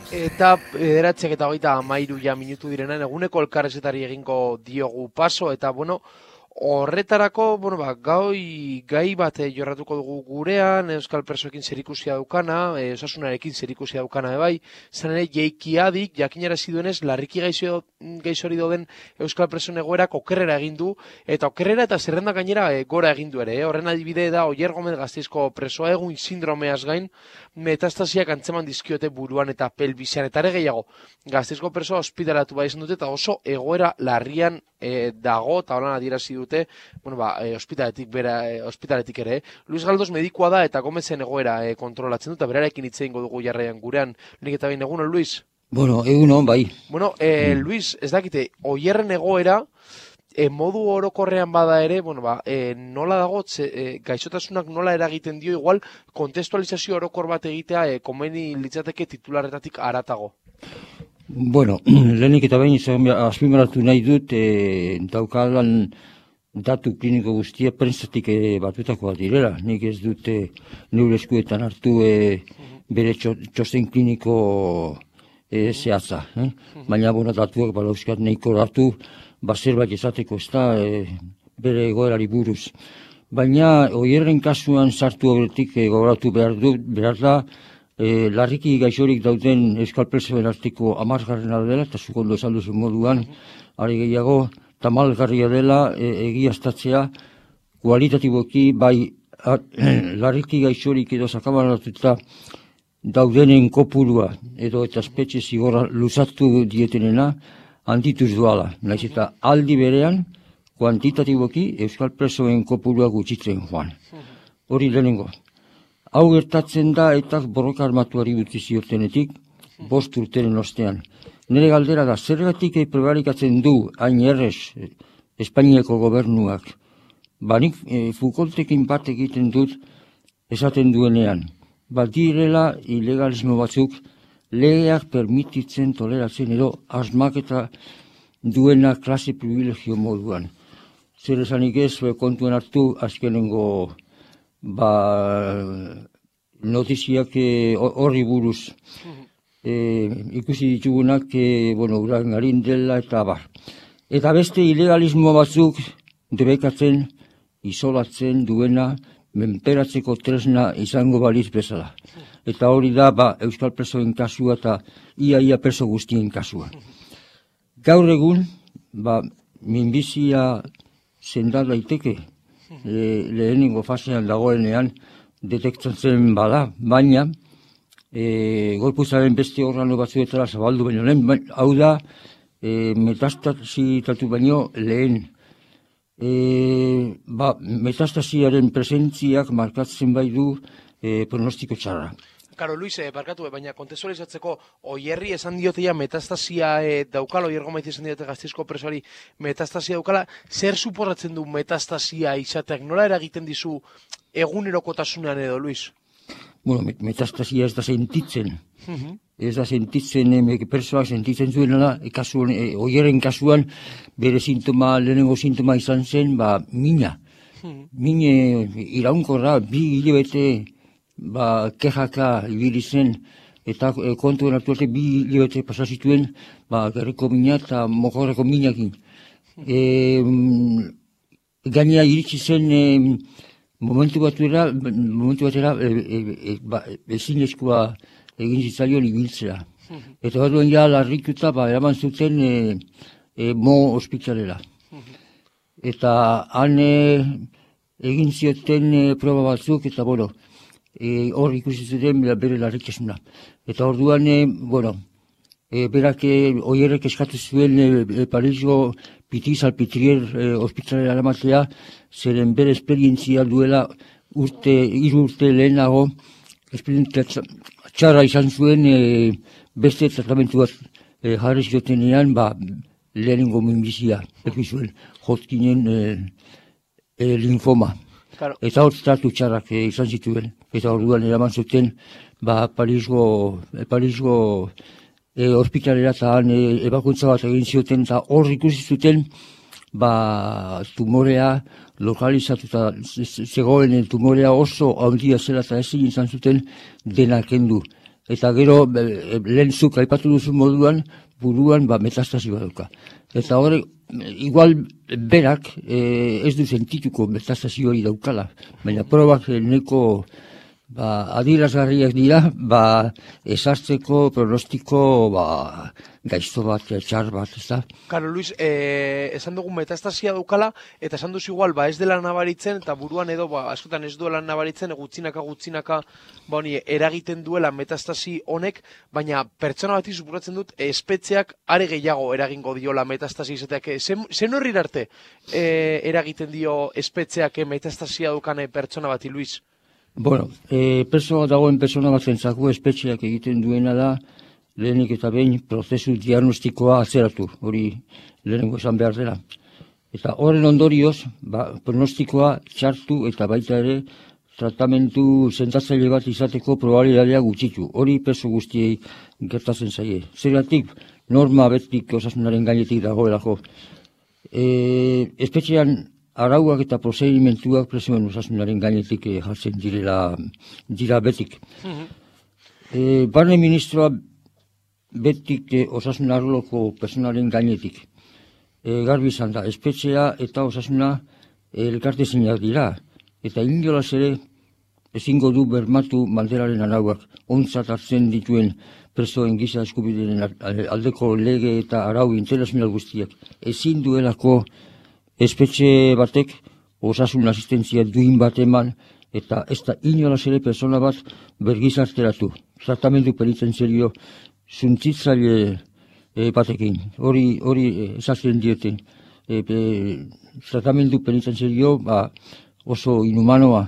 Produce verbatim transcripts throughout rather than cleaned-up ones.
Eta bederatziak eta hogeita hamairu ja minutu direnean eguneko elkarrezetari egingo diogu paso, eta bueno, horretarako, bueno, ba, gai, gai bat eh, jorratuko dugu gurean, euskal presoekin zerikusia daukana, eh, osasunarekin zerikusia daukana ebai, zan ere jeikiadik, jakinarazi duenez, larriki gaixo, gaixori doden euskal presoen egoerak okerrera egin du, eta okerrera eta zerrenda gainera eh, gora egin du ere, eh? Horren adibide da Oier Gomez Gasteizko presoa egun sindromeaz gain, metastasiak antzeman dizkiote buruan eta pelbisean, eta ere gehiago, Gasteizko presoa ospitalatu bai izan dute, eta oso egoera larrian e, dago, eta holan adierazi dute, bueno, ba, e, ospitaletik, bera, e, ospitaletik ere. Luis Galdos medikua da, eta Gomezen egoera e, kontrolatzen dut, eta berarekin hitz egingo dugu jarraian gurean. Nik eta behin egunon, Luis? Bueno, egunon, bai. Bueno, e, mm. Luis, ez dakite, Oierren egoera, E, modu orokorrean bada ere, bueno, ba, e, nola dago, tze, e, gaixotasunak nola eragiten dio, igual, kontestualizazio orokor bat egitea, e, komeni litzateke titularretatik aratago. Bueno, lehenik eta behin azpimarratu nahi dut, e, daukadan datu kliniko guztia prentzatik e, batutako bat direla. Nik ez dute neure eskuetan hartu e, bere txosten kliniko e, zehatza. Eh? Baina, bueno, datuak balauzkat nahiko datu, bazer bat ezateko ez da e, bere egoerari buruz. Baina, Oierren kasuan sartu horretik e, gogoratu behar, du, behar da, e, larriki gaixorik dauden euskal presoen arteko hamargarrena dela, eta zukondo esan duzu moduan, ari gehiago, tamalgarria dela e, egiaztatzea, kualitatiboki, bai, a, larriki gaixorik edo sakabanatuta daudenen kopurua, edo eta espetxe zigorra luzatu dietenena, handituz duala, naiz eta aldi berean, kuantitatiboki euskal presoen kopurua gutxitzen joan. Hori lehenengo. Hau gertatzen da eta borroka armatuari utzi ziotenetik, bost urteren ostean. Nire galdera da, zergatik prebarikatzen du hain errez Espainiako gobernuak. Banik e, Foucaultekin bat egiten dut esaten duenean. Badirela ilegalismo batzuk legeak permititzen toleratzen edo asmaketa duena klase privilegio moduan. Zer esanik ez, kontuen hartu azkenengo ba, notiziak horri buruz e, ikusi ditugunak, e, bueno, urangarin dela eta bar. Eta beste ilegalismo batzuk debekatzen, isolatzen duena, menperatzeko tresna izango baliz bezala. Eta hori da, ba, euskal presoen kasua eta ia-ia preso guztien kasua. Gaur egun, ba, minbizia senda daiteke, le, lehenengo fasean dagoenean detektatzen bada, baina e, gorpuzaren beste organo batzuetara zabaldu baino lehen, ba, hau da, e, metastasitatu baino lehen. E, ba, metastasiaren presentziak markatzen bai du e, pronostiko txarra. Karo, Luis, eh, barkatu, baina kontestualizatzeko Oierri esan dioteia metastasia eh, daukala, Oier Gomez esan diote Gasteizko presoari metastasia daukala, zer suporratzen du metastasia izateak, nola eragiten dizu egunerokotasunean edo, Luis? Bueno, metastasia ez da sentitzen, uh-huh. ez da sentitzen, eh, persoak sentitzen zuena da, e, kasuan, e, Oierren kasuan bere sintoma, lehenengo sintoma izan zen, ba, mina. Uh-huh. Mine iraunkorra, bi hilabete, ba, kejaka ibili zen, eta e, kontuen hartu arte bi hilabete pasazituen, ba, gerriko mina eta mokorreko minakin. E, gainea iritsi zen e, momentu batera, momentu batera e, e, e, ba, ezinezkoa egin zitzaion ibiltzea. Eta bat duen ja larrikuta, ba, eraman zuten e, e, mo ospitalera. Eta han e, egin zioten e, proba batzuk, eta bueno, E, hor ikusi zuten bere larrikesuna. Eta orduan, e, bueno, e, berak e, Oierrek eskatu zuen e, Parisgo Piti-Salpitrier e, ospitalera eramatea, zeren bere esperientzia duela urte, hiru urte lehenago, esperientzia txarra izan zuen e, beste tratamentu bat e, jarri ziotenean, ba, lehenengo minbizia, eki zuen, Hodgkinen e, e, linfoma. Claro. Eta hor tratu txarrak e, izan zituen. Eta orduan eraman zuten, ba, Parisgo, Parisgo e, ospitalera eta han e, ebakuntza bat egin zioten, eta hor ikusi zuten, ba, tumorea lokalizatuta zegoen tumorea oso handia zela eta ezin izan zuten dena kendu. eta gero lehen zuk aipatu duzu moduan, buruan ba, metastasi bat dauka. Eta hori, igual berak eh, ez du sentituko metastasi hori daukala, baina probak neko ba, adierazgarriak dira, ba, esartzeko pronostiko ba, gaizto bat, txar bat, ez da? Karo, Luis, eh, esan dugu metastasia daukala, eta esan duzu igual, ba, ez dela nabaritzen, eta buruan edo, ba, askotan ez duela nabaritzen, gutxinaka, gutxinaka, ba, honi, eragiten duela metastasi honek, baina pertsona bati supuratzen dut, espetxeak are gehiago eragingo diola metastasi izateak. Zen horri arte eh, eragiten dio espetxeak metastasia daukane pertsona bati, Luis? Bueno, eh, perso dagoen pertsona bat zentzako espetxeak egiten duena da, lehenik eta behin prozesu diagnostikoa atzeratu, hori lehenengo esan behar dela. Eta horren ondorioz, ba, pronostikoa txartu eta baita ere tratamentu zentatzaile bat izateko probabilitatea gutxitu. Hori perso guztiei gertatzen zaie. Zergatik, norma betik osasunaren gainetik dagoelako. E, espetxean arauak eta prozedimentuak presoen osasunaren gainetik eh, jartzen direla, dira betik. e, Barne ministroa betik eh, osasun arloko personalen gainetik. E, garbi izan da, espetxea eta osasuna eh, elkartezinak dira. Eta inolaz ere ezingo du bermatu Mandelaren arauak ontzat hartzen dituen presoen giza eskubideen aldeko lege eta arau internazional guztiak. Ezin duelako espetxe batek osasun asistentzia duin bat eman eta ez da inolaz ere persona bat bergizarteratu. Tratamendu penitentziario suntzitzaile e, batekin. Hori hori esaten diete. E, e, tratamendu penitentziario ba, oso inhumanoa.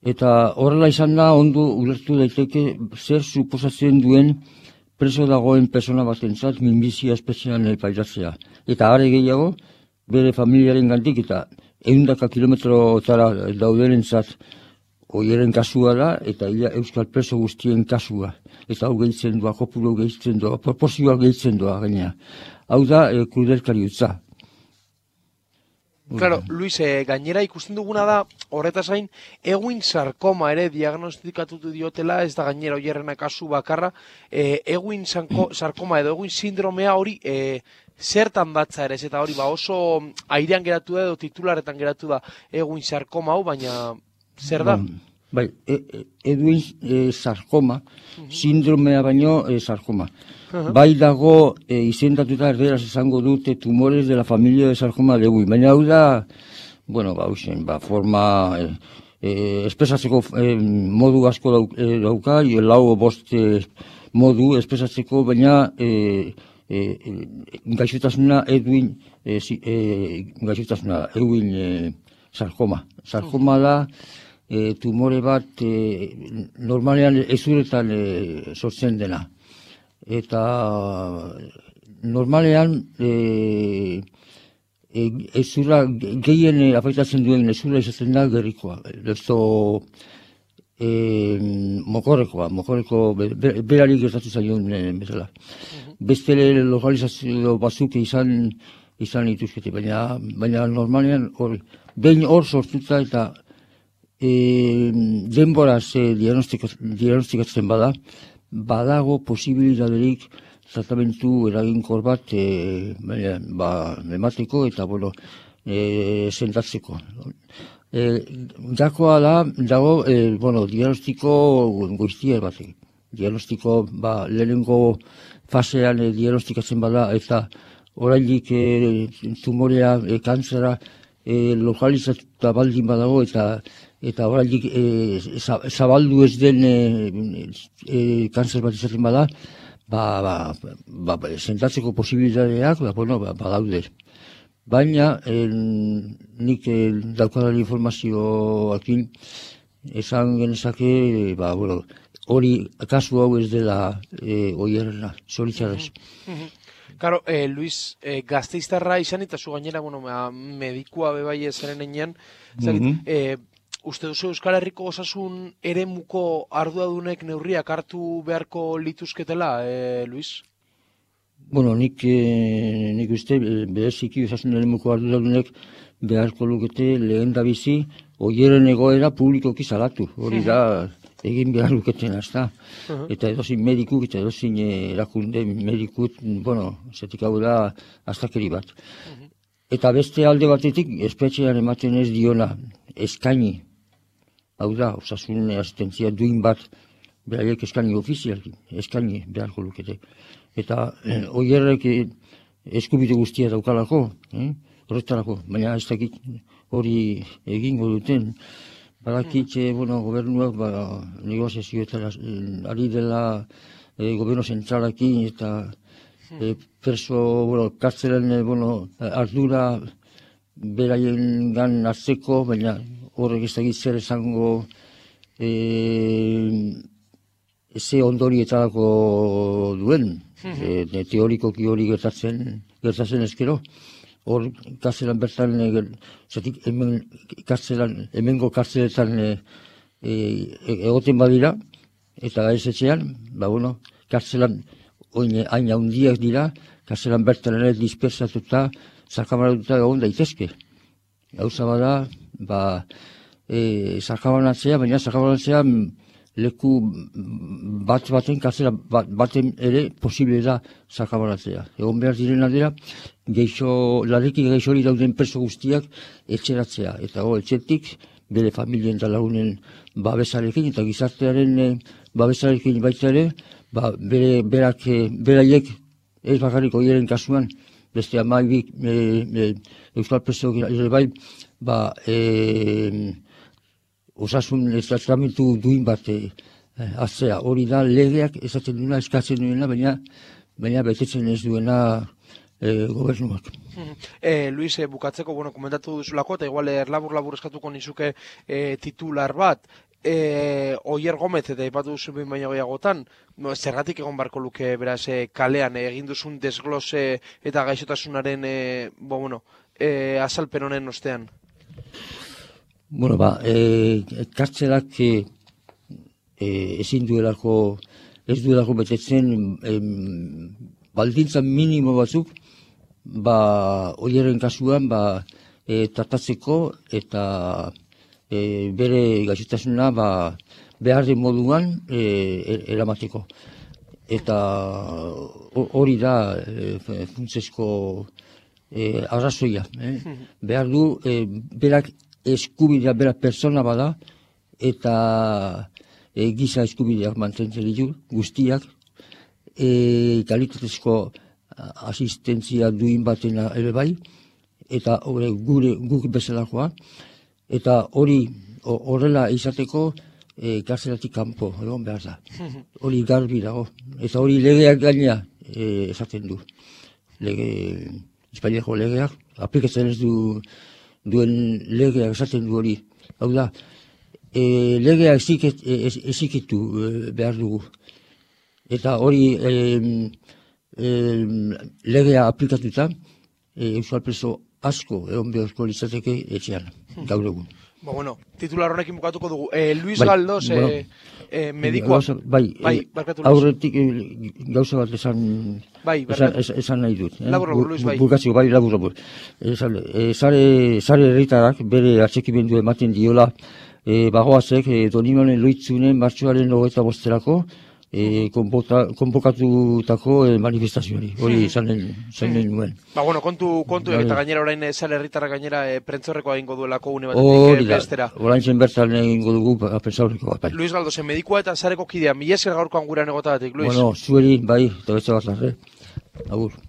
Eta horrela izan da ondo ulertu daiteke zer suposatzen duen preso dagoen persona batentzat minbizia espetxean pairatzea. Eta are gehiago, bere familiaren gandik eta ehundaka kilometrotara daudenentzat oieren kasua da, eta ia euskal preso guztien kasua. Eta hau gehitzen doa, kopuru gehitzen doa, proporzioa gehitzen doa gainea. Hau da, e, krudelkari utza. Claro, Luis, eh, gainera ikusten duguna da, horretaz gain, Ewing sarkoma ere diagnostikatutu diotela, ez da gainera oierrena kasu bakarra, eh, Ewing sarkoma edo Ewing sindromea hori eh, zertan datza ere, eta hori ba oso airean geratu da edo titularetan geratu da Ewing sarkoma hau, baina zer da? Bai, e, e, Ewing e, sarkoma, sindromea baino e, sarkoma. Uh-huh. Bai dago e, izendatuta erderaz esango dute tumores de la familia de sarkoma de Ewing, baina hau da, bueno, ba, usen, ba, forma, e, e, espresatzeko e, modu asko dauk, e, dauka, e, lau bost e, modu espresatzeko, baina e, e, e, gaixotasuna Ewing, e, e, gaixotasuna Ewing e, sarkoma. Sarkoma da, e, tumore bat e, normalean ezuretan e, sortzen dena. Eta normalean e, e, ezura gehien afektatzen duen ezura izaten da gerrikoa. Esto e, mokorrekoa, mokorreko berari gertatu zaion e, bezala. Uh-huh. Beste lokalizazio batzuk izan izan ituzkete, baina, baina normalean hori. Behin hor sortuta eta e, denboraz e, diagnostikatzen bada, badago posibilitaterik tratamentu eraginkor bat e, ba, emateko eta bueno, e, sentatzeko. E, dakoa da, dago, e, bueno, diagnostiko guztia batek. Diagnostiko, ba, lehenengo fasean e, diagnostikatzen bada eta oraindik e, tumorea, e, kantzera e, lokalizatuta baldin badago eta eta oraindik e, zabaldu ez den e, e, kanzer bat izaten bada, ba, ba, ba, ba, sentatzeko posibilitateak, ba, bueno, ba, badaude. Baina, e, nik e, daukadan informazioakin, esan genezake, ba, bueno, hori kasu hau ez dela e, oierrena, zoritxarrez. Claro, eh, Luis, eh, gazteiztarra izan eta zu gainera, bueno, medikua bebai ezaren enean, mm-hmm. eh, uste duzu Euskal Herriko osasun eremuko arduradunek neurriak hartu beharko lituzketela, eh, Luis? Bueno, nik, eh, nik uste, bereziki osasun eremuko arduradunek beharko lukete lehen da bizi, oieren egoera publikoki salatu. Hori da, egin behar luketena, ez da. Eta edozin medikuk eta edozin erakunde medikut, bueno, zetik hau da astakeri bat. Eta beste alde batetik, espetxean ematen ez diona eskaini, hau da, osasun asistentzia duin bat, beraiek eskaini ofizialki, eskaini beharko lukete. Eta oierrek eskubide guztia daukalako, horretarako, baina ez dakit hori egingo duten. Badakitxe, bueno, gobernuak, negoziazioetan ari dela gobernu zentralakin eta perso, bueno, kartzelen, bueno, ardura beraien gan hartzeko, baina horrek ez dakit zer esango ze ondorietarako duen, teorikoki hori gertatzen, gertatzen ezkero. Hor, kartzelan bertan, zatik, hemen kartzelan, hemengo kartzeletan egoten badira, eta ez etxean, ba, bueno, kartzelan hain handiak dira, kartzelan bertan ere dispersatuta, sakabanatuta egon daitezke. Gauza bada, ba, sakabanatzea, baina sakabanatzea leku bat baten, kartzela baten ere posible da sakabanatzea. Egon behar direna dira, geixo, larriki geixori dauden preso guztiak etxeratzea. Eta go, etxetik, bere familien eta lagunen babesarekin eta gizartearen babesarekin baita ere, ba, bere, berak, beraiek, ez bakarrik oieren kasuan, beste amaibik, e, e, euskal preso ere bai, ba, e, osasun tratamentu duin bat aztea. Hori da legeak esaten duena, eskatzen duena, baina, baina betetzen ez duena E, gobernuak. E, Luis, e, bukatzeko, bueno, komentatu duzulako, eta igual erlabur-labur eskatuko nizuke e, titular bat, e, Oier Gomez, eta ipatu duzu behin baino gehiagotan, no, zergatik egon barko luke beraz e, kalean, e, egin duzun desglose eta gaixotasunaren e, bo, bueno, e, azalpen honen ostean? Bueno, ba, e, kartzelak e, ezin duelako, ez duelako betetzen e, baldintza minimo batzuk, ba, oieren kasuan, ba, e, tratatzeko eta e, bere gaixotasuna, ba, behar den moduan e, eramateko. Eta hori da e, funtsesko e, arrazoia. Eh? Behar du, e, berak eskubidea, berak persona bada, eta e, giza eskubideak mantentzen ditu, guztiak, E, kalitatezko asistentzia duin batena ere bai, eta hori gure guk bezalakoa, eta hori horrela izateko e, kartzelatik kanpo, egon behar da. Hori garbi dago, eta hori legeak gaina e, esaten du. Lege, Espainiako legeak, aplikatzen ez du duen legeak esaten du hori. Hau da, e, legea ezikitu e, behar dugu. Eta hori e, e, legea aplikatuta, e, euskal preso asko egon beharko litzateke etxean, gaur egun. Ba, bueno, titular honekin bukatuko dugu. E, Luis bai, Galdos, bueno, e, e, medikoa. Gauza, bai, bai e, aurretik e, gauza bat esan, bai, esan, esan nahi dut. Eh? Labur, labur, Luis, bai. Bukatziko, bai, labur, labur. E, e, zare, zare herritarak bere atxekimendu ematen diola, e, bagoazek, e, Donimonen Loitzunen martxoaren hogeita bosterako, E, konpokatutako e, manifestazioari, hori zanen nuen. Ba, bueno, kontu, kontu eta gainera orain zale herritarra gainera e, prentzorrekoa egingo duelako une batetik e, bestera. Orain zen bertan egingo dugu prentzaurrekoa. Bai. Luis Galdosen, medikua eta zareko kidea, mila esker gaurkoan gurean egotagatik, Luis. Bueno, zueri, bai, eta beste bat larre. Agur.